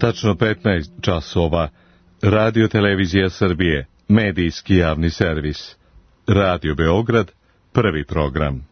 Tačno 15 časova. Radio Televizija Srbije, medijski javni servis. Radio Beograd, prvi program.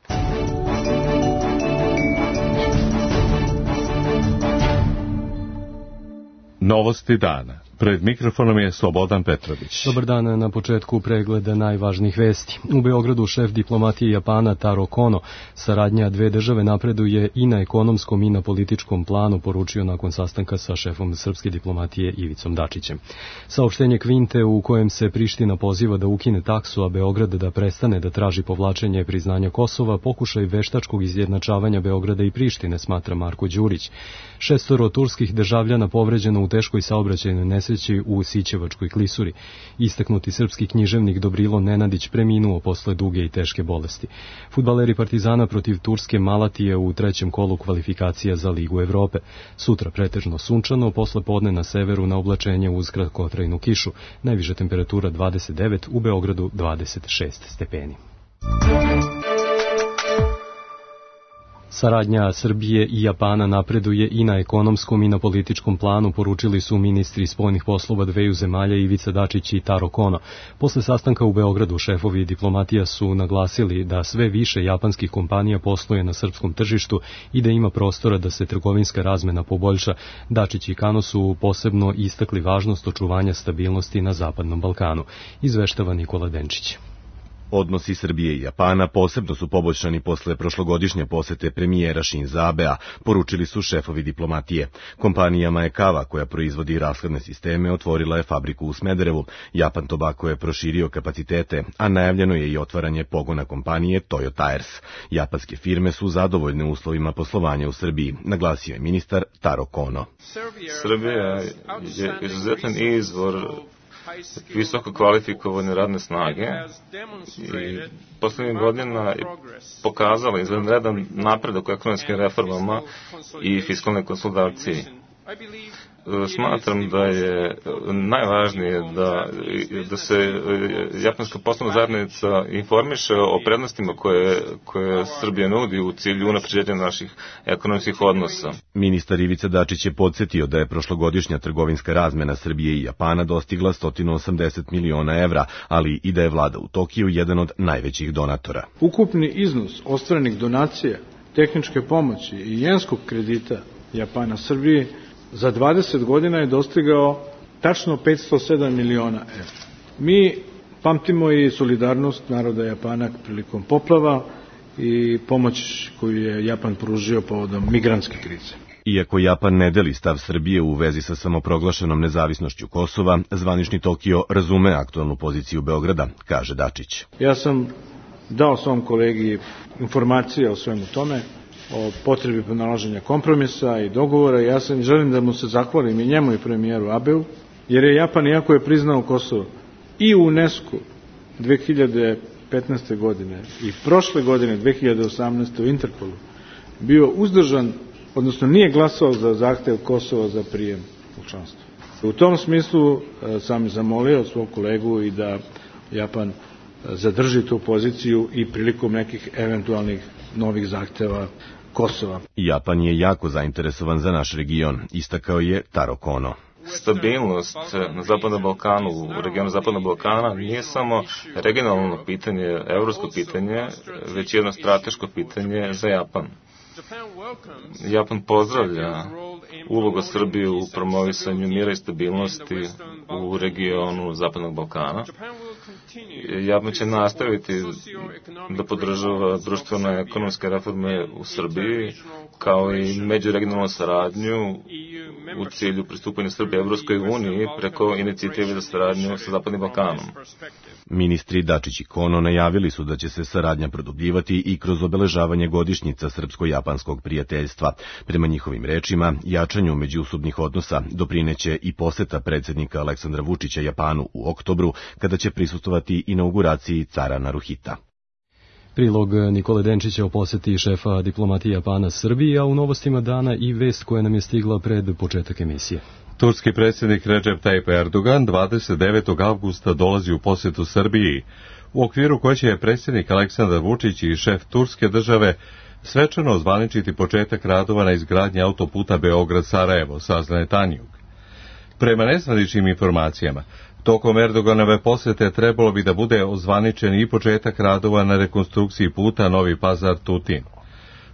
Novosti dana. Pred mikrofonom je Slobodan Petrović. Dobar dan, na početku pregleda najvažnijih vesti. U Beogradu šef diplomatije Japana Taro Kono saradnja dve države napreduje i na ekonomskom i na političkom planu, poručio nakon sastanka sa šefom srpske diplomatije Ivicom Dačićem. Saopštenje Kvinte u kojem se Priština poziva da ukine taksu, a Beograd da prestane da traži povlačenje priznanja Kosova, pokušaj veštačkog izjednačavanja Beograda i Prištine, smatra Marko Đurić. 6 turskih državljana povređeno u teškoj saobraćajnoj nesreći u Sićevačkoj klisuri. Istaknuti srpski književnik Dobrilo Nenadić preminuo posle duge i teške bolesti. Fudbaleri Partizana protiv Turske Malatije u trećem kolu kvalifikacija za Ligu Evrope. Sutra pretežno sunčano, posle podne na severu na oblačenje uz kratkotrajnu kišu. Najviša temperatura 29, u Beogradu 26 stepeni. Saradnja Srbije i Japana napreduje i na ekonomskom i na političkom planu, poručili su ministri spoljnih poslova dveju zemalja Ivica Dačić i Taro Kono. Posle sastanka u Beogradu šefovi diplomatija su naglasili da sve više japanskih kompanija posluje na srpskom tržištu i da ima prostora da se trgovinska razmena poboljša. Dačić i Kano su posebno istakli važnost očuvanja stabilnosti na Zapadnom Balkanu, izveštava Nikola Denčić. Odnosi Srbije i Japana posebno su poboljšani posle prošlogodišnje posete premijera Šinza Abea, poručili su šefovi diplomatije. Kompanija Maekawa, koja proizvodi rashladne sisteme, otvorila je fabriku u Smederevu. Japan Tobacco je proširio kapacitete, a najavljeno je i otvaranje pogona kompanije Toyo Tires. Japanske firme su zadovoljne uslovima poslovanja u Srbiji, naglasio je ministar Taro Kono. Srbija je izuzetan izvor visoko kvalifikovane radne snage i poslednjih godina je pokazala izvanredan napredak u ekonomskim reformama i fiskalne konsolidacije. Smatram da je najvažnije da se japanska poslovna zajednica informiše o prednostima koje Srbija nudi u cilju unapređenja naših ekonomskih odnosa. Ministar Ivica Dačić je podsjetio da je prošlogodišnja trgovinska razmena Srbije i Japana dostigla 180 miliona evra, ali i da je vlada u Tokiju jedan od najvećih donatora. Ukupni iznos ostvarenih donacija, tehničke pomoći i jenskog kredita Japana Srbiji za 20 godina je dostigao tačno 507 miliona evra. Mi pamtimo i solidarnost naroda Japana prilikom poplava i pomoć koju je Japan pružio povodom migrantske krize. Iako Japan ne deli stav Srbije u vezi sa samoproglašenom nezavisnošću Kosova, zvanični Tokio razume aktualnu poziciju Beograda, kaže Dačić. Ja sam dao svom kolegi informacije o svemu tome, o potrebi pronalaženja kompromisa i dogovora. Ja želim da mu se zahvalim i njemu i premijeru Abeu, jer je Japan, iako je priznao Kosovo i u UNESCO 2015. godine i prošle godine 2018. u Interpolu, bio uzdržan, odnosno nije glasao za zahtev Kosova za prijem u članstvo. U tom smislu sam zamolio svog kolegu i da Japan zadrži tu poziciju i prilikom nekih eventualnih novih zahteva Kosova. Japan je jako zainteresovan za naš region, istakao je Taro Kono. Stabilnost na Zapadnom Balkanu, u regionu Zapadnog Balkana, nije samo regionalno pitanje, evropsko pitanje, već jedno strateško pitanje za Japan. Japan pozdravlja ulogu Srbije u promovisanju mira i stabilnosti u regionu Zapadnog Balkana. Japan će nastaviti da podržava društvene ekonomske reforme u Srbiji, kao i međuregionalnu saradnju u cilju pristupanja Srbije Evropskoj uniji preko inicijative za saradnju sa Zapadnim Balkanom. Ministri Dačić i Kono najavili su da će se saradnja produbljivati i kroz obeležavanje godišnjica srpsko-japanskog prijateljstva. Prema njihovim rečima, jačanju međusobnih odnosa doprineće i poseta predsjednika Aleksandra Vučića Japanu u oktobru, kada će prisustvovati inauguraciji cara Naruhita. Prilog Nikole Denčića o poseti šefa diplomatije Japana Srbiji, a u novostima dana i vest koja nam je stigla pred početak emisije. Turski predsjednik Recep Tayyip Erdogan 29. avgusta dolazi u posetu Srbiji, u okviru koje će predsjednik Aleksandar Vučić i šef turske države svečano ozvaničiti početak radova na izgradnji autoputa Beograd-Sarajevo, saznaje Tanjug. Prema nezvaničnim informacijama, tokom Erdoganove posete trebalo bi da bude ozvaničen i početak radova na rekonstrukciji puta Novi Pazar-Tutin.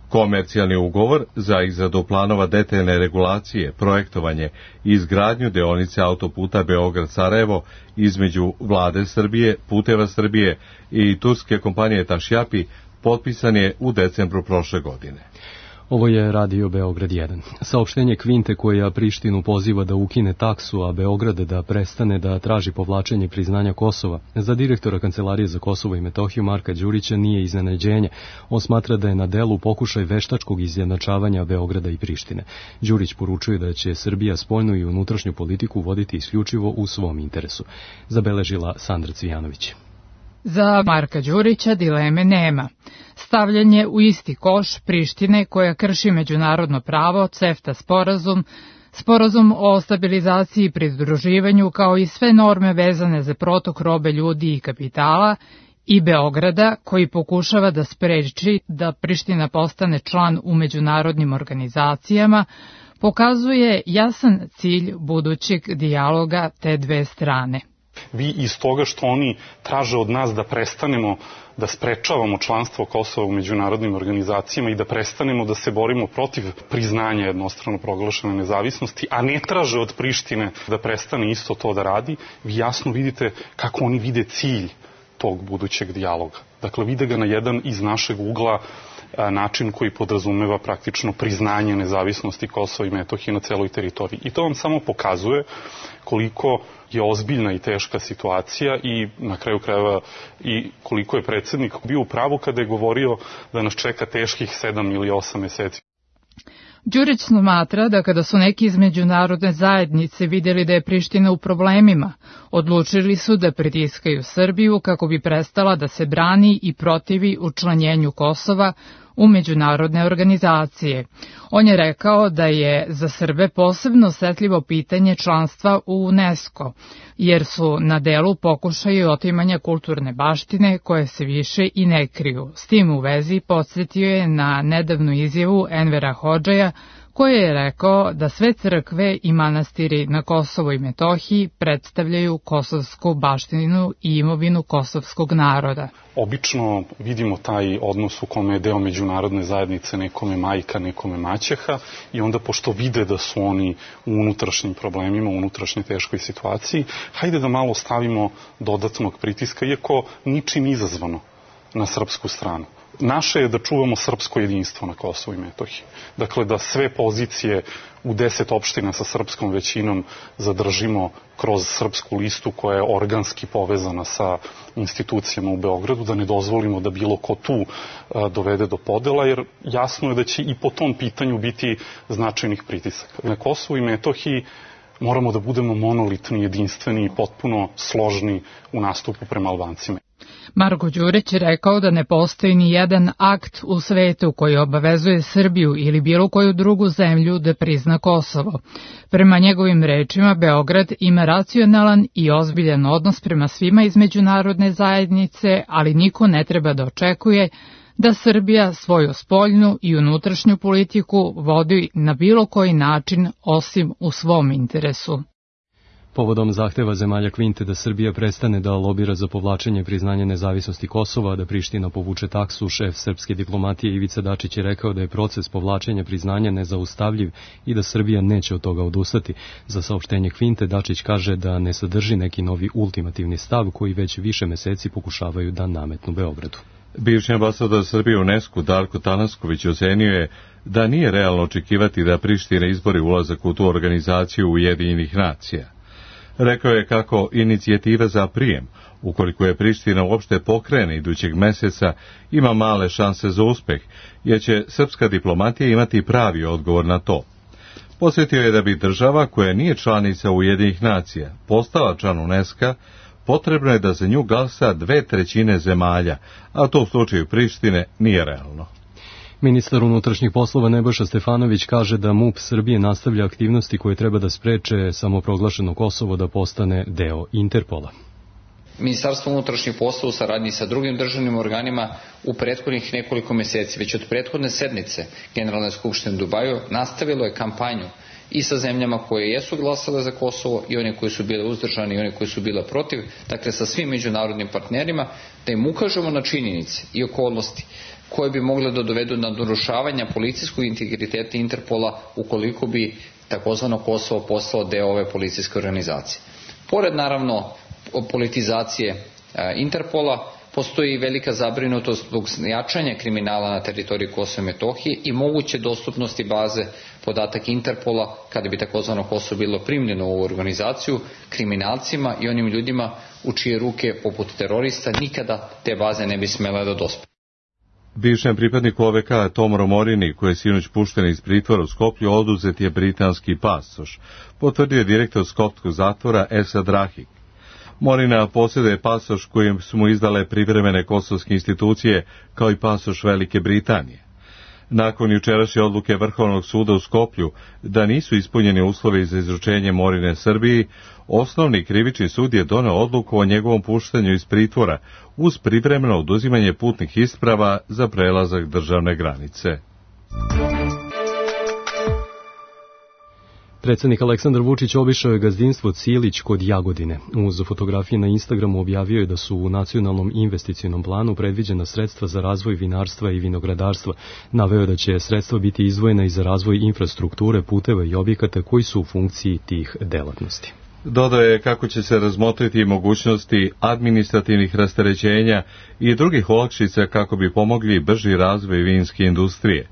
Komercijalni ugovor za izradu planova detaljne regulacije, projektovanje i izgradnju deonice autoputa Beograd-Sarajevo između Vlade Srbije, Puteva Srbije i turske kompanije Tašjapi potpisan je u decembru prošle godine. Ovo je Radio Beograd 1. Saopštenje Kvinte koja Prištinu poziva da ukine taksu, a Beograd da prestane da traži povlačenje priznanja Kosova, za direktora Kancelarije za Kosovo i Metohiju Marka Đurića nije iznenađenje. On smatra da je na delu pokušaj veštačkog izjednačavanja Beograda i Prištine. Đurić poručuje da će Srbija spoljnu i unutrašnju politiku voditi isključivo u svom interesu. Zabeležila Sandra Cvijanović. Za Marka Đurića dileme nema. Stavljanje u isti koš Prištine koja krši međunarodno pravo, CEFTA sporazum o stabilizaciji i pridruživanju kao i sve norme vezane za protok robe, ljudi i kapitala i Beograda koji pokušava da spreči da Priština postane član u međunarodnim organizacijama, pokazuje jasan cilj budućeg dijaloga te dve strane. Vi iz toga što oni traže od nas da prestanemo da sprečavamo članstvo Kosova u međunarodnim organizacijama i da prestanemo da se borimo protiv priznanja jednostrano proglašene nezavisnosti, a ne traže od Prištine da prestane isto to da radi, vi jasno vidite kako oni vide cilj tog budućeg dijaloga. Dakle, vide ga na jedan iz našeg ugla način koji podrazumeva praktično priznanje nezavisnosti Kosova i Metohije na celoj teritoriji. I to vam samo pokazuje koliko je ozbiljna i teška situacija i na kraju krajeva i koliko je predsjednik bio u pravu kada je govorio da nas čeka teških 7 ili 8 meseci. Đurić smatra da kada su neki iz međunarodne zajednice vidjeli da je Priština u problemima, odlučili su da pritiskaju Srbiju kako bi prestala da se brani i protivi učlanjenju Kosova u međunarodne organizacije. On je rekao da je za Srbe posebno osetljivo pitanje članstva u UNESCO, jer su na delu pokušaji otimanja kulturne baštine koje se više i ne kriju. S tim u vezi podsjetio je na nedavnu izjavu Envera Hodžaja, koji je rekao da sve crkve i manastiri na Kosovo i Metohiji predstavljaju kosovsku baštinu i imovinu kosovskog naroda. Obično vidimo taj odnos u kome je deo međunarodne zajednice nekome majka, nekome maćeha i onda pošto vide da su oni u unutrašnjim problemima, u unutrašnjoj teškoj situaciji, hajde da malo stavimo dodatnog pritiska, iako ničim izazvano na srpsku stranu. Naše je da čuvamo srpsko jedinstvo na Kosovu i Metohiji. Dakle, da sve pozicije u 10 opština sa srpskom većinom zadržimo kroz srpsku listu koja je organski povezana sa institucijama u Beogradu, da ne dozvolimo da bilo ko tu dovede do podela, jer jasno je da će i po tom pitanju biti značajnih pritisaka. Na Kosovu i Metohiji moramo da budemo monolitni, jedinstveni i potpuno složni u nastupu prema Albancima. Marko Đurić je rekao da ne postoji ni jedan akt u svetu koji obavezuje Srbiju ili bilo koju drugu zemlju da prizna Kosovo. Prema njegovim rečima, Beograd ima racionalan i ozbiljan odnos prema svima iz međunarodne zajednice, ali niko ne treba da očekuje da Srbija svoju spoljnu i unutrašnju politiku vodi na bilo koji način osim u svom interesu. Povodom zahteva zemalja Kvinte da Srbija prestane da lobira za povlačenje priznanja nezavisnosti Kosova, da Priština povuče taksu, šef srpske diplomatije Ivica Dačić je rekao da je proces povlačenja priznanja nezaustavljiv i da Srbija neće od toga odustati. Za saopštenje Kvinte Dačić kaže da ne sadrži neki novi ultimativni stav koji već više meseci pokušavaju da nametnu Beogradu. Bivši ambasador Srbije u UNESCO Darko Tanasković ocenio je da nije realno očekivati da Priština izbori ulazak u tu organizaciju Ujedinjenih nacija. Rekao je kako inicijativa za prijem, ukoliko je Priština uopšte pokrene idućeg meseca, ima male šanse za uspeh, jer će srpska diplomatija imati pravi odgovor na to. Podsjetio je da bi država koja nije članica Ujedinjenih nacija postala član UNESCO, potrebno je da za nju glasa 2/3 zemalja, a to u slučaju Prištine nije realno. Ministar unutrašnjih poslova Nebojša Stefanović kaže da MUP Srbije nastavlja aktivnosti koje treba da spreče samoproglašeno Kosovo da postane deo Interpola. Ministarstvo unutrašnjih poslova u saradnji sa drugim državnim organima u prethodnih nekoliko meseci, već od prethodne sednice Generalne skupštine u Dubaju, nastavilo je kampanju i sa zemljama koje jesu glasale za Kosovo i one koje su bile uzdržane i one koje su bile protiv, dakle sa svim međunarodnim partnerima, da im ukažemo na činjenice i okolnosti koje bi mogle da dovedu na narušavanja policijskog integriteta Interpola ukoliko bi takozvano Kosovo postalo deo ove policijske organizacije. Pored naravno politizacije Interpola, postoji i velika zabrinutost zbog jačanja kriminala na teritoriji Kosova i Metohije i moguće dostupnosti baze podataka Interpola, kada bi takozvano Kosovo bilo primljeno u ovu organizaciju, kriminalcima i onim ljudima u čije ruke, poput terorista, nikada te baze ne bi smele da dospe. Bivšem pripadniku OVK Tomu Morini, koji je sinoć pušten iz pritvora u Skoplju, oduzet je britanski pasoš, potvrdio je direktor skopskog zatvora Esad Rahik. Morina posjeduje pasoš kojim su mu izdale privremene kosovske institucije, kao i pasoš Velike Britanije. Nakon jučerašnje odluke Vrhovnog suda u Skoplju da nisu ispunjeni uslovi za izručenje Morine Srbiji, osnovni krivični sud je doneo odluku o njegovom puštanju iz pritvora uz privremeno oduzimanje putnih isprava za prelazak državne granice. Predsjednik Aleksandar Vučić obišao je gazdinstvo Cilić kod Jagodine. Uz fotografije na Instagramu objavio je da su u nacionalnom investicionom planu predviđena sredstva za razvoj vinarstva i vinogradarstva. Naveo je da će sredstva biti izdvojena i za razvoj infrastrukture, puteva i objekata koji su u funkciji tih delatnosti. Dodao je kako će se razmotriti mogućnosti administrativnih rasterećenja i drugih olakšica kako bi pomogli brži razvoj vinske industrije.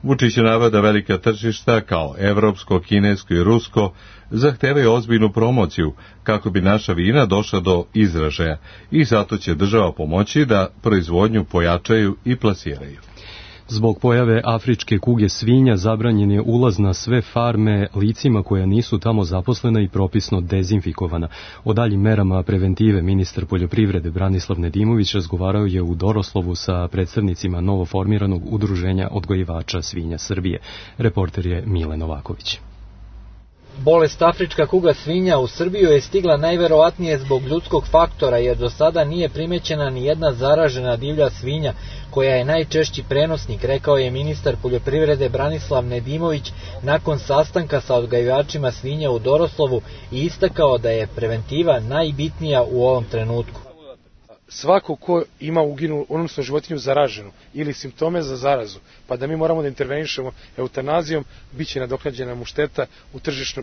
Vučić je naveo da velika tržišta kao evropsko, kinesko i rusko zahtevaju ozbiljnu promociju kako bi naša vina došla do izražaja i zato će država pomoći da proizvodnju pojačaju i plasiraju. Zbog pojave afričke kuge svinja zabranjen je ulaz na sve farme licima koja nisu tamo zaposlena i propisno dezinfikovana. O daljim merama preventive ministar poljoprivrede Branislav Nedimović razgovarao je u Doroslovu sa predstavnicima novoformiranog udruženja odgojivača svinja Srbije. Reporter je Mile Novaković. Bolest afrička kuga svinja u Srbiju je stigla najverovatnije zbog ljudskog faktora, jer do sada nije primećena ni jedna zaražena divlja svinja, koja je najčešći prenosnik, rekao je ministar poljoprivrede Branislav Nedimović nakon sastanka sa odgajivačima svinja u Doroslovu i istakao da je preventiva najbitnija u ovom trenutku. Svako ko ima uginu, odnosno životinju zaraženu ili simptome za zarazu, pa da mi moramo da intervenišemo eutanazijom, bit će nadoknađena mu šteta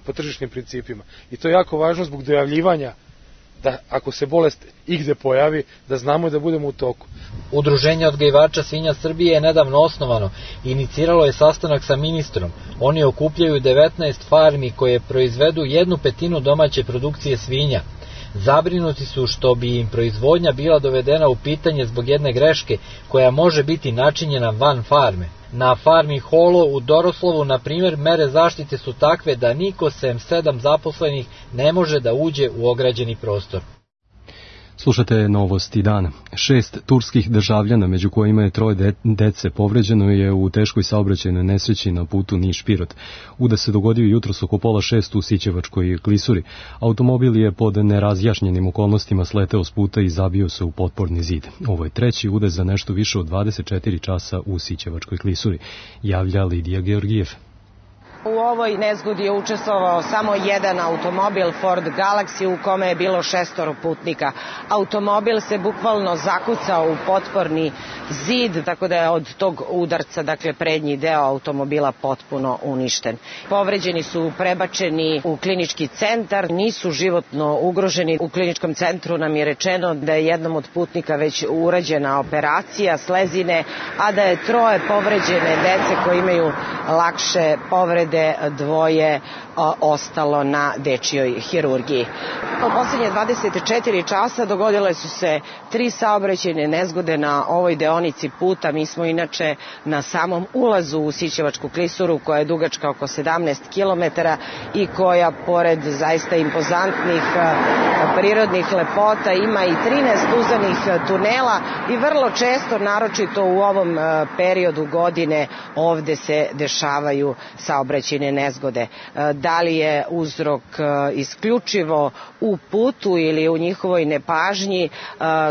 po tržišnim principima. I to je jako važno zbog dojavljivanja, da ako se bolest igde pojavi, da znamo da budemo u toku. Udruženje odgajivača svinja Srbije je nedavno osnovano. Iniciralo je sastanak sa ministrom. Oni okupljaju 19 farmi koje proizvedu 1/5 domaće produkcije svinja. Zabrinuti su što bi im proizvodnja bila dovedena u pitanje zbog jedne greške koja može biti načinjena van farme. Na farmi Holo u Doroslovu, na primjer, mere zaštite su takve da niko sem 7 zaposlenih ne može da uđe u ograđeni prostor. Slušate novosti dana. 6 turskih državljana, među kojima je 3 dece, povređeno je u teškoj saobraćajnoj nesreći na putu Niš-Pirot. Udes se dogodio jutros oko 5:30 u Sićevačkoj klisuri. Automobil je pod nerazjašnjenim okolnostima sleteo s puta i zabio se u potporni zid. Ovo je treći udes za nešto više od 24 časa u Sićevačkoj klisuri, javlja Lidija Georgijev. U ovoj nezgodi je učestvovao samo jedan automobil Ford Galaxy u kome je bilo 6 putnika. Automobil se bukvalno zakucao u potporni zid, tako da je od tog udarca, dakle prednji deo automobila potpuno uništen. Povređeni su prebačeni u klinički centar, nisu životno ugroženi. U kliničkom centru nam je rečeno da je jednom od putnika već urađena operacija slezine, a da je 3 povređene dece koji imaju lakše povrede, 2 ostalo na dečijoj hirurgiji. U poslednje 24 časa dogodile su se 3 saobraćajne nezgode na ovoj deonici puta. Mi smo inače na samom ulazu u Sićevačku klisuru, koja je dugačka oko 17 km i koja, pored zaista impozantnih prirodnih lepota, ima i 13 uzanih tunela i vrlo često, naročito u ovom periodu godine, ovde se dešavaju saobraćajne saobraćajne nezgode. Da li je uzrok isključivo u putu ili u njihovoj nepažnji,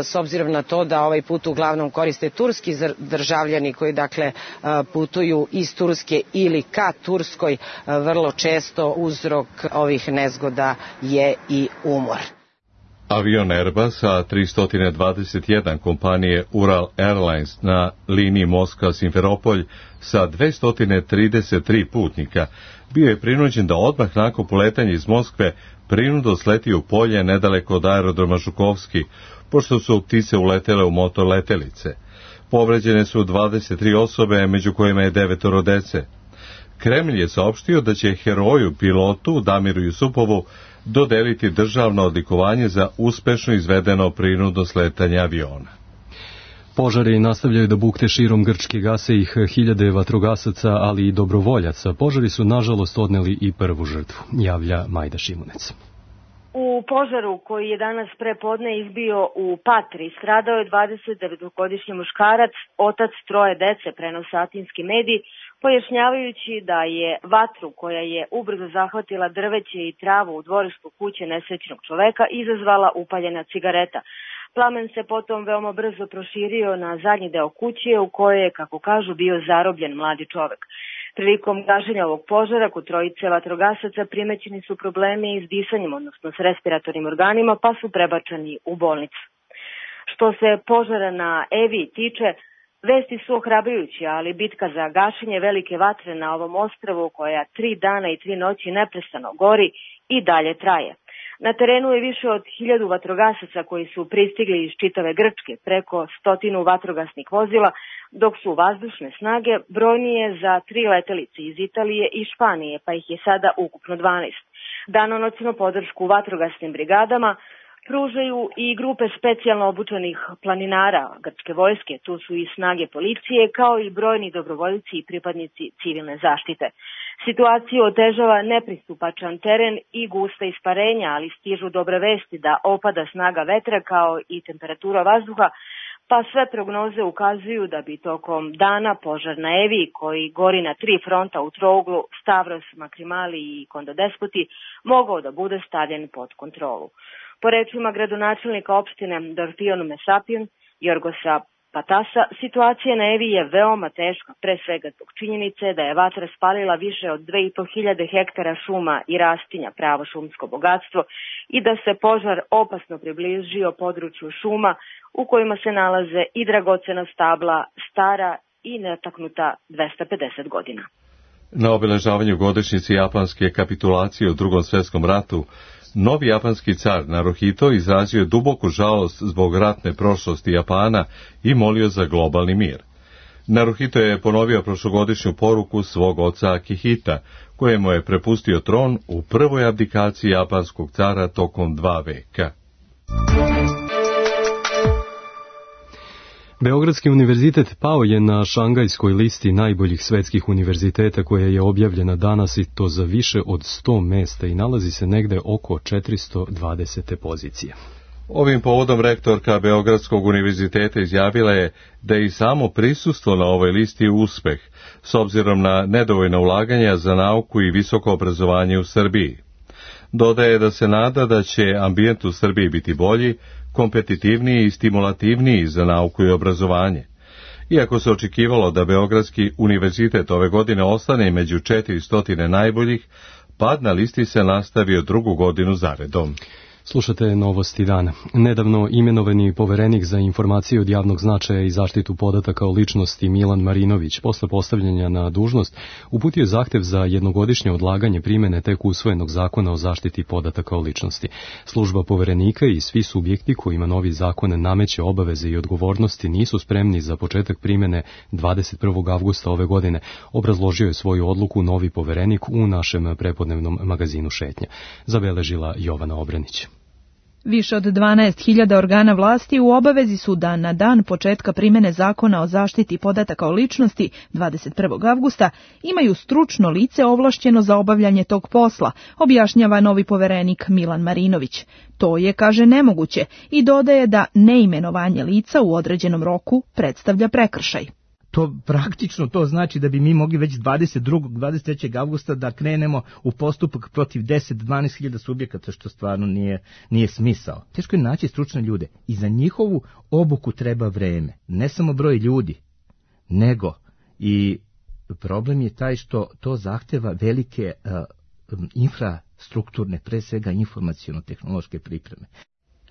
s obzirom na to da ovaj put uglavnom koriste turski državljani koji dakle putuju iz Turske ili ka Turskoj, vrlo često uzrok ovih nezgoda je i umor. Avion Airbusa 321 kompanije Ural Airlines na liniji Moskva-Simferopolj sa 233 putnika bio je prinuđen da odmah nakon poletanja iz Moskve prinudno sleti u polje nedaleko od aerodroma Žukovski, pošto su ptice uletele u motor letelice. Povređene su 23 osobe, među kojima je 9 dece. Kremlj je saopštio da će heroju pilotu Damiru Jusupovu dodeliti državno odlikovanje za uspešno izvedeno prinudno sletanje aviona. Požari nastavljaju da bukte širom Grčke, gase ih hiljade vatrogasaca, ali i dobrovoljaca. Požari su nažalost odneli i prvu žrtvu, javlja Majda Šimunec. U požaru koji je danas prepodne izbio u Patri stradao je 29-godišnji muškarac, otac troje dece, prenose atinski mediji, pojašnjavajući da je vatru koja je ubrzo zahvatila drveće i travu u dvorištu kuće nesrećnog čoveka izazvala upaljena cigareta. Plamen se potom veoma brzo proširio na zadnji deo kuće u kojoj je, kako kažu, bio zarobljen mladi čovek. Prilikom gašenja ovog požara kod trojice vatrogasaca primećeni su problemi s disanjem, odnosno s respiratornim organima, pa su prebačeni u bolnicu. Što se požara na Evi tiče, vesti su ohrabrujuće, ali bitka za gašenje velike vatre na ovom ostrvu, koja 3 dana i 3 noći neprestano gori, i dalje traje. Na terenu je više od 1000 vatrogasaca koji su pristigli iz čitave Grčke, preko 100 vatrogasnih vozila, dok su vazdušne snage brojnije za 3 letelice iz Italije i Španije, pa ih je sada ukupno 12. Danonoćnu podršku vatrogasnim brigadama pružaju i grupe specijalno obučenih planinara grčke vojske, tu su i snage policije, kao i brojni dobrovoljci i pripadnici civilne zaštite. Situaciju otežava nepristupačan teren i gusta isparenja, ali stižu dobre vesti da opada snaga vetra kao i temperatura vazduha, pa sve prognoze ukazuju da bi tokom dana požar na Evi, koji gori na 3 fronta u trouglu Stavros, Makrimali i Kondodespoti, mogao da bude stavljen pod kontrolu. Po rečima gradonačelnika opštine Dorfion Mesapion, Jorgosa Patasa, situacija na Evi je veoma teška, pre svega zbog činjenice da je vatra spalila više od 2500 hektara šuma i rastinja, pravo šumsko bogatstvo, i da se požar opasno približio području šuma u kojima se nalaze i dragocena stabla, stara i netaknuta 250 godina. Na obeležavanju godišnjice japanske kapitulacije u Drugom svjetskom ratu, novi japanski car Naruhito izrazio duboku žalost zbog ratne prošlosti Japana i molio za globalni mir. Naruhito je ponovio prošlogodišnju poruku svog oca Akihita, kojemu je prepustio tron u prvoj abdikaciji japanskog cara tokom 2 veka. Beogradski univerzitet pao je na šangajskoj listi najboljih svetskih univerziteta koja je objavljena danas, i to za više od 100 mesta, i nalazi se negde oko 420. pozicije. Ovim povodom rektorka Beogradskog univerziteta izjavila je da je i samo prisustvo na ovoj listi uspeh, s obzirom na nedovoljna ulaganja za nauku i visoko obrazovanje u Srbiji. Dodaje da se nada da će ambijent u Srbiji biti bolji, kompetitivniji i stimulativniji za nauku i obrazovanje. Iako se očekivalo da Beogradski univerzitet ove godine ostane među 400 najboljih, pad na listi se nastavio 2. godinu zaredom. Slušate Novosti dana. Nedavno imenovani poverenik za informacije od javnog značaja i zaštitu podataka o ličnosti Milan Marinović posle postavljanja na dužnost uputio zahtev za jednogodišnje odlaganje primene tek usvojenog zakona o zaštiti podataka o ličnosti. Služba poverenika i svi subjekti kojima novi zakon nameće obaveze i odgovornosti nisu spremni za početak primene 21. avgusta ove godine, obrazložio je svoju odluku novi poverenik u našem prepodnevnom magazinu Šetnja. Zabeležila Jovana Obrenić. Više od 12.000 organa vlasti u obavezi su da na dan početka primene zakona o zaštiti podataka o ličnosti 21. avgusta imaju stručno lice ovlašćeno za obavljanje tog posla, objašnjava novi poverenik Milan Marinović. To je, kaže, nemoguće i dodaje da neimenovanje lica u određenom roku predstavlja prekršaj. To praktično to znači da bi mi mogli već 22. 23. avgusta da krenemo u postupak protiv 10-12 hiljada subjekata, što stvarno nije smisao. Teško je naći stručne ljude i za njihovu obuku treba vreme. Ne samo broj ljudi, nego i problem je taj što to zahteva velike infrastrukturne, pre svega informaciono-tehnološke pripreme.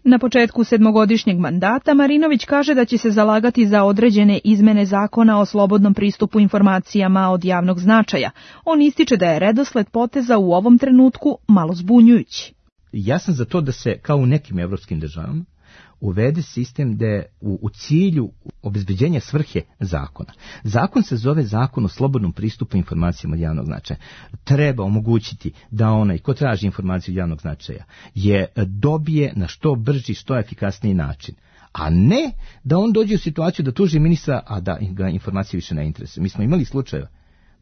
Na početku 7-godišnjeg mandata Marinović kaže da će se zalagati za određene izmene zakona o slobodnom pristupu informacijama od javnog značaja. On ističe da je redosled poteza u ovom trenutku malo zbunjujući. Ja sam za to da se, kao u nekim evropskim državama, uvede sistem da je u cilju obezbeđenja svrhe zakona. Zakon se zove Zakon o slobodnom pristupu informacijama od javnog značaja. Treba omogućiti da onaj ko traži informaciju od javnog značaja je dobije na što brži, što efikasniji način. A ne da on dođe u situaciju da tuži ministra, a da ga informacije više ne interesuje. Mi smo imali slučajeva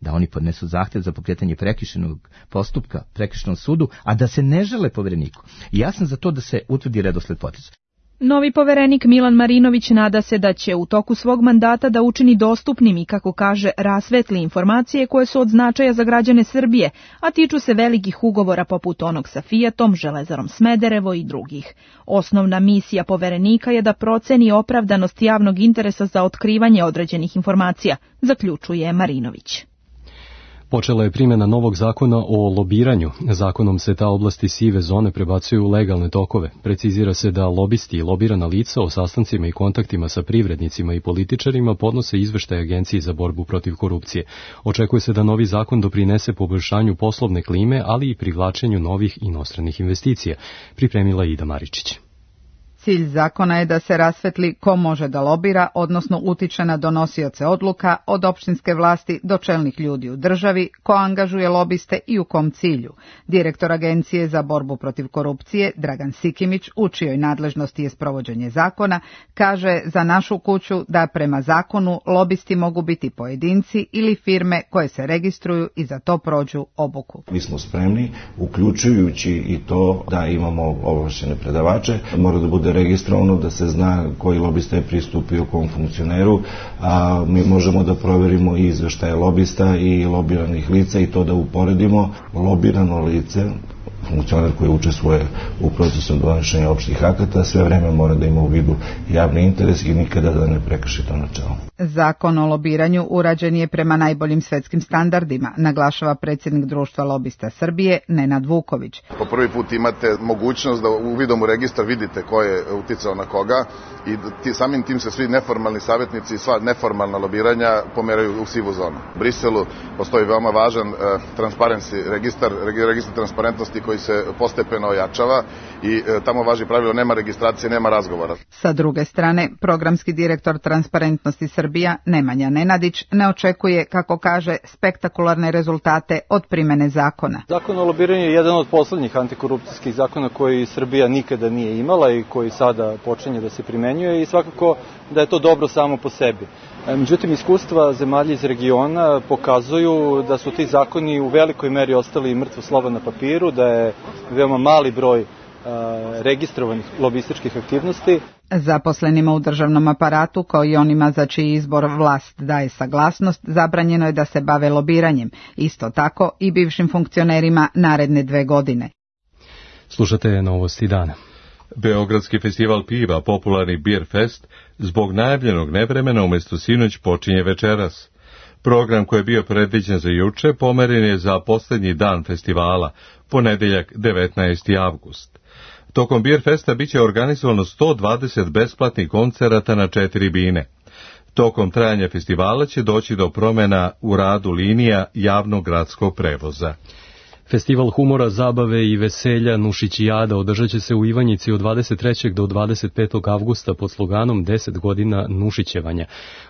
da oni podnesu zahtjev za pokretanje prekršajnog postupka prekršajnom sudu, a da se ne žale povereniku. I ja sam za to da se utvrdi redosled poteza. Novi poverenik Milan Marinović nada se da će u toku svog mandata da učini dostupnim i, kako kaže, rasvetli informacije koje su od značaja za građane Srbije, a tiču se velikih ugovora poput onog sa Fijatom, Železarom Smederevo i drugih. Osnovna misija poverenika je da proceni opravdanost javnog interesa za otkrivanje određenih informacija, zaključuje Marinović. Počela je primjena novog zakona o lobiranju. Zakonom se ta oblasti sive zone prebacuju u legalne tokove. Precizira se da lobisti i lobirana lica o sastancima i kontaktima sa privrednicima i političarima podnose izveštaj Agenciji za borbu protiv korupcije. Očekuje se da novi zakon doprinese poboljšanju poslovne klime, ali i privlačenju novih inostranih investicija, pripremila Ida Maričić. Cilj zakona je da se rasvetli ko može da lobira, odnosno utiče na donosioce odluka, od opštinske vlasti do čelnih ljudi u državi, ko angažuje lobiste i u kom cilju. Direktor Agencije za borbu protiv korupcije, Dragan Sikimić, u čijoj nadležnosti je sprovođenje zakona, kaže za našu kuću da prema zakonu lobisti mogu biti pojedinci ili firme koje se registruju i za to prođu obuku. Mi smo spremni, uključujući i to da imamo ovlašćene predavače, mora da bude registrovano, da se zna koji lobista je pristupio kom funkcioneru, a mi možemo da proverimo i izveštaje lobista i lobiranih lica i to da uporedimo. Lobirano lice, funkcioner koji učestvuje u procesu donošenja opštih akata, sve vreme mora da ima u vidu javni interes i nikada da ne prekrši to načelo. Zakon o lobiranju urađen je prema najboljim svetskim standardima, naglašava predsjednik Društva lobista Srbije, Nenad Vuković. Po prvi put imate mogućnost da uvidom u registar vidite ko je uticao na koga i samim tim se svi neformalni savjetnici i sva neformalna lobiranja pomeraju u sivu zonu. U Briselu postoji veoma važan registar transparentnosti koji se postepeno ojačava i tamo važi pravilo nema registracije, nema razgovora. Sa druge strane, programski direktor Transparentnosti Srbija, Nemanja Nenadić, ne očekuje, kako kaže, spektakularne rezultate od primene zakona. Zakon o lobiranju je jedan od poslednjih antikorupcijskih zakona koji Srbija nikada nije imala i koji sada počinje da se primenjuje i svakako da je to dobro samo po sebi. Međutim, iskustva zemalja iz regiona pokazuju da su ti zakoni u velikoj meri ostali mrtvo slovo na papiru, da je veoma mali broj registrovanih lobističkih aktivnosti. Zaposlenima u državnom aparatu, kao i onima za čiji izbor vlast daje saglasnost, zabranjeno je da se bave lobiranjem. Isto tako i bivšim funkcionerima naredne 2 godine. Slušate Novosti dana. Beogradski festival piva, popularni Beer Fest, zbog najavljenog nevremena umjesto sinoć počinje večeras. Program koji je bio predviđen za juče pomeren je za posljednji dan festivala, ponedeljak 19. avgust. Tokom Beer Festa biće organizovano 120 besplatnih koncerata na 4 bine. Tokom trajanja festivala će doći do promjena u radu linija javnog gradskog prevoza. Festival humora, zabave i veselja Nušićijada održat će se u Ivanjici od 23. do 25. avgusta pod sloganom 10 godina Nušićevanja.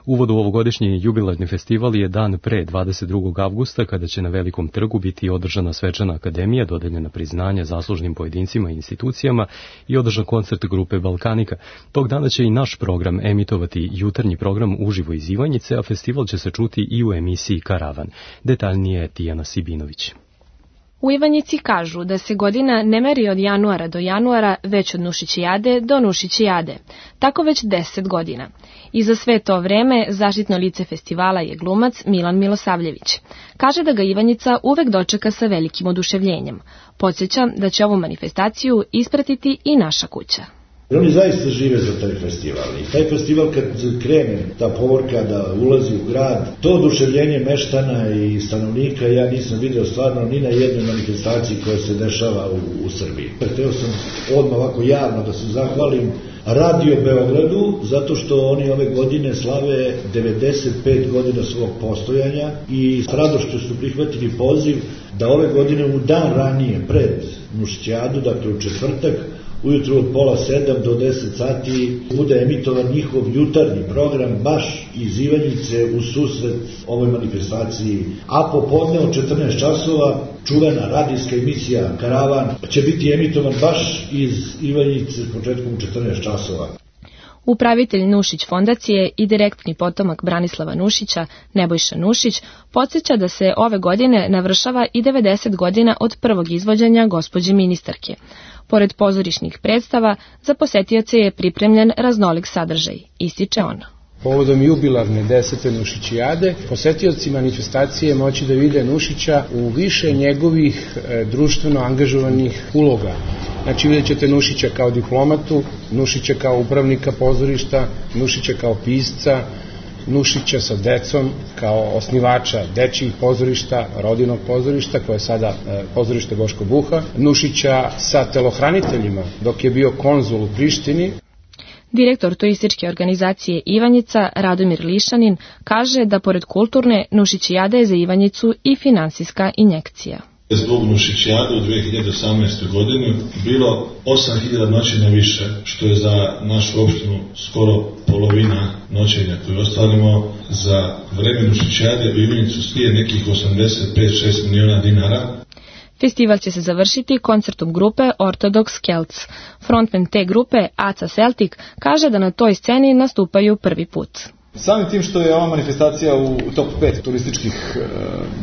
Uvod u ovogodišnji jubilarni festival je dan pre 22. avgusta, kada će na Velikom trgu biti održana svečana akademija, dodeljena priznanja zaslužnim pojedincima i institucijama i održan koncert grupe Balkanika. Tog dana će i naš program emitovati jutarnji program uživo iz Ivanjice, a festival će se čuti i u emisiji Karavan. Detaljnije Tijana Sibinović. U Ivanjici kažu da se godina ne meri od januara do januara, već od Nušićijade do Nušićijade. Tako već 10 godina. I za sve to vreme zaštitno lice festivala je glumac Milan Milosavljević. Kaže da ga Ivanjica uvek dočeka sa velikim oduševljenjem. Podsjeća da će ovu manifestaciju ispratiti i naša kuća. Oni zaista žive za taj festival i taj festival kad krene ta povorka da ulazi u grad, to oduševljenje meštana i stanovnika ja nisam video stvarno ni na jednoj manifestaciji koja se dešava u Srbiji. Hteo sam odmah ovako javno da se zahvalim Radio Beogradu zato što oni ove godine slave 95 godina svog postojanja i s radošću su prihvatili poziv da ove godine u dan ranije pred Nušićijadu, dakle u četvrtak, ujutru od 6:30 do 10 sati bude emitovan njihov jutarnji program baš iz Ivanjice u susret ovoj manifestaciji. A popodne od 14 časova čuvena radijska emisija Karavan će biti emitovan baš iz Ivanjice početkom u 14 časova. Upravitelj Nušić fondacije i direktni potomak Branislava Nušića, Nebojša Nušić, podsjeća da se ove godine navršava i 90 godina od prvog izvođenja gospođe ministarke. Pored pozorišnih predstava, za posetioce je pripremljen raznolik sadržaj, ističe on. Povodom jubilarne 10. Nušićijade, posetiocima manifestacije moći da vide Nušića u više njegovih društveno angažovanih uloga. Znači vidjet ćete Nušića kao diplomatu, Nušića kao upravnika pozorišta, Nušića kao pisca, Nušića sa decom kao osnivača dečjih pozorišta, rodinog pozorišta koje je sada pozorište Boško Buha, Nušića sa telohraniteljima dok je bio konzul u Prištini. Direktor turističke organizacije Ivanjica, Radomir Lišanin, kaže da pored kulturne, Nušićijada je za Ivanjicu i finansijska injekcija. Zbog Nušićijade u 2018. godini bilo 8000 noćenja više, što je za našu opštinu skoro polovina noćenja koje ostvarimo. Za vreme Nušićijade u Ivanjicu slije nekih 85-6 miliona dinara. Festival će se završiti koncertom grupe Orthodox Celts. Frontman te grupe, Aca Celtic, kaže da na toj sceni nastupaju prvi put. Samim tim što je ova manifestacija u top 5 turističkih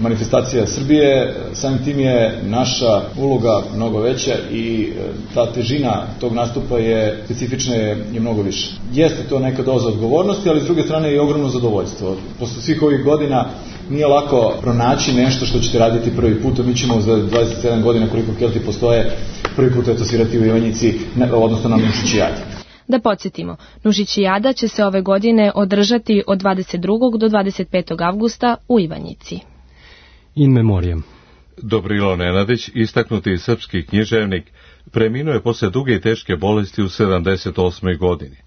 manifestacija Srbije, samim tim je naša uloga mnogo veća i ta težina tog nastupa je specifična je mnogo više. Jeste to neka doza odgovornosti, ali s druge strane je i ogromno zadovoljstvo. Posle svih ovih godina nije lako pronaći nešto što ćete raditi prvi put, a mi ćemo za 27 godina koliko Kelti postoje prvi put eto svirati u Ivanjici, odnosno na Nušićijadi. Da podsjetimo, Nušićijada će se ove godine održati od 22. do 25. avgusta u Ivanjici. In memoriam. Dobrilo Nenadić, istaknuti srpski književnik, preminuo je posle duge i teške bolesti u 78. godini.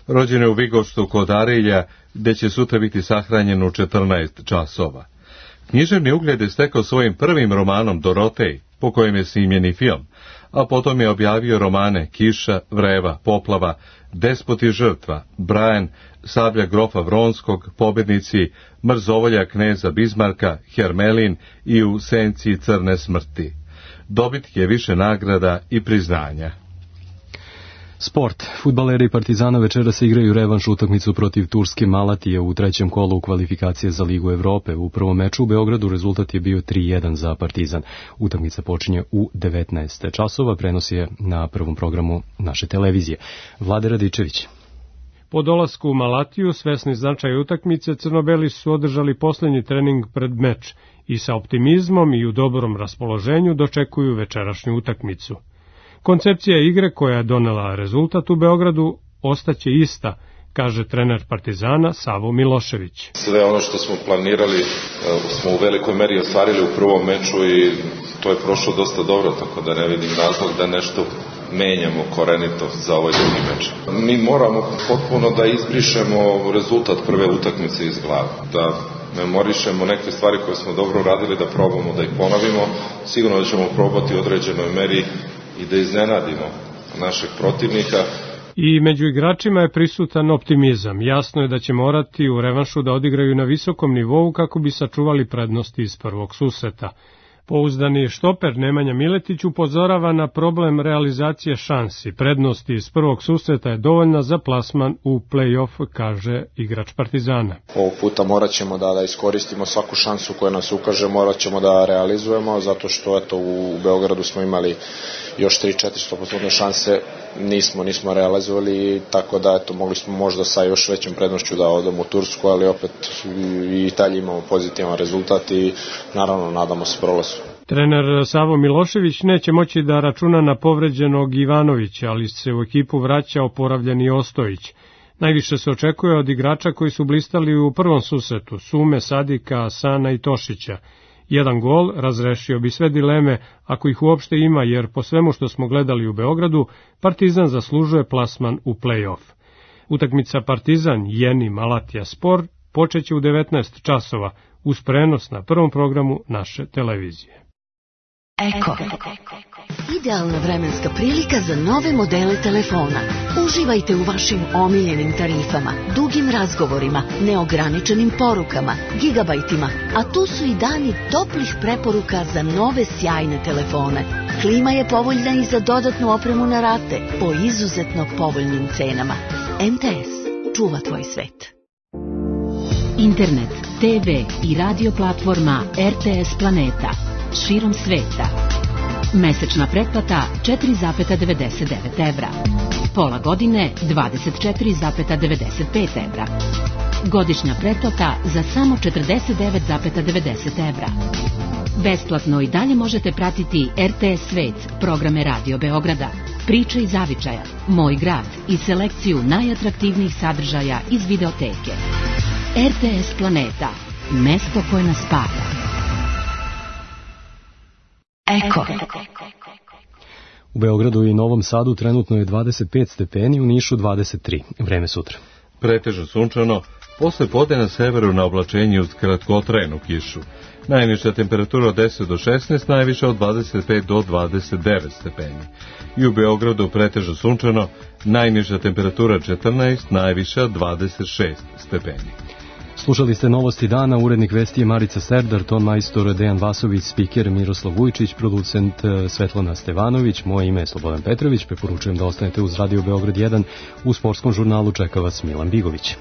Rođen je u Vigoštu kod Arilja, gde će sutra biti sahranjen u 14 časova. Književni ugled je stekao svojim prvim romanom Dorotej, po kojem je snimljen i film, a potom je objavio romane Kiša, Vreva, Poplava, Despot i žrtva, Brian, Sablja grofa Vronskog, Pobednici, Mrzovolja kneza Bizmarka, Hermelin i U senci crne smrti. Dobitnik je više nagrada i priznanja. Sport. Fudbaleri Partizana večera se igraju revanš utakmicu protiv Turske Malatije u trećem kolu u kvalifikacije za Ligu Evrope. U prvom meču u Beogradu rezultat je bio 3:1 za Partizan. Utakmica počinje u 19 časova, prenosi je na prvom programu naše televizije. Vlade Radičević. Po dolasku u Malatiju, svesni značaja utakmice, crnobeli su održali poslednji trening pred meč i sa optimizmom i u dobrom raspoloženju dočekuju večerašnju utakmicu. Koncepcija igre koja je donela rezultat u Beogradu ostaće ista, kaže trener Partizana Savo Milošević. Sve ono što smo planirali smo u velikoj meri ostvarili u prvom meču i to je prošlo dosta dobro, tako da ne vidim razlog da nešto menjamo korenito za ovaj drugi meč. Mi moramo potpuno da izbrišemo rezultat prve utakmice iz glave, da memorišemo neke stvari koje smo dobro uradili, da probamo da ih ponovimo. Sigurno da ćemo probati u određenoj meri i da iznenadimo našeg protivnika. I među igračima je prisutan optimizam. Jasno je da će morati u revanšu da odigraju na visokom nivou kako bi sačuvali prednosti iz prvog susreta. Pouzdani štoper Nemanja Miletić upozorava na problem realizacije šansi. Prednosti iz prvog susreta je dovoljna za plasman u play-off, kaže igrač Partizana. Ovog puta morat ćemo da iskoristimo svaku šansu koja nas ukaže, morat ćemo da realizujemo, zato što u Beogradu smo imali još 3-4 100% šanse, nismo realizovali, tako da mogli smo možda sa još većom prednošću da odemo u Tursku, ali opet i dalje imamo pozitivan rezultat i naravno nadamo se prolazu. Trener Savo Milošević neće moći da računa na povređenog Ivanovića, ali se u ekipu vraća oporavljeni Ostojić. Najviše se očekuje od igrača koji su blistali u prvom susretu, Sume, Sadika, Asana i Tošića. Jedan gol razrešio bi sve dileme, ako ih uopšte ima, jer po svemu što smo gledali u Beogradu, Partizan zaslužuje plasman u play-off. Utakmica Partizan Jeni Malatija Spor počeće u 19 časova uz prenos na prvom programu naše televizije. Eko. Idealna vremenska prilika za nove modele telefona. Uživajte u vašim omiljenim tarifama, dugim razgovorima, neograničenim porukama, gigabajtima, a tu su i dani toplih preporuka za nove sjajne telefone. Klima je povoljna i za dodatnu opremu na rate po izuzetno povoljnim cenama. MTS čuva tvoj svet. Internet, TV i radio platforma RTS Planeta širom sveta. Mesečna pretplata 4,99 evra. Pola godine 24,95 evra. Godišnja pretplata za samo 49,90 evra. Besplatno i dalje možete pratiti RTS Svet, programe Radio Beograda, Priče iz Zavičaja, Moj grad i selekciju najatraktivnijih sadržaja iz videoteke. RTS Planeta, mesto koje nas spaja. Eko. U Beogradu i Novom Sadu trenutno je 25 stepeni, u Nišu 23. Vreme sutra. Pretežno sunčano, posle podne na severu na oblačenju uz kratkotrajnu kišu. Najniža temperatura od 10 do 16, najviša od 25 do 29 stepeni. I u Beogradu pretežno sunčano, najniža temperatura 14, najviša 26 stepeni. Slušali ste novosti dana, urednik vesti je Marica Serdar, ton majstor Dejan Vasović, spiker Miroslav Vujčić, producent Svetlana Stevanović, moje ime je Slobodan Petrović, preporučujem da ostanete uz Radio Beograd 1, u sportskom žurnalu čeka vas Milan Bigović.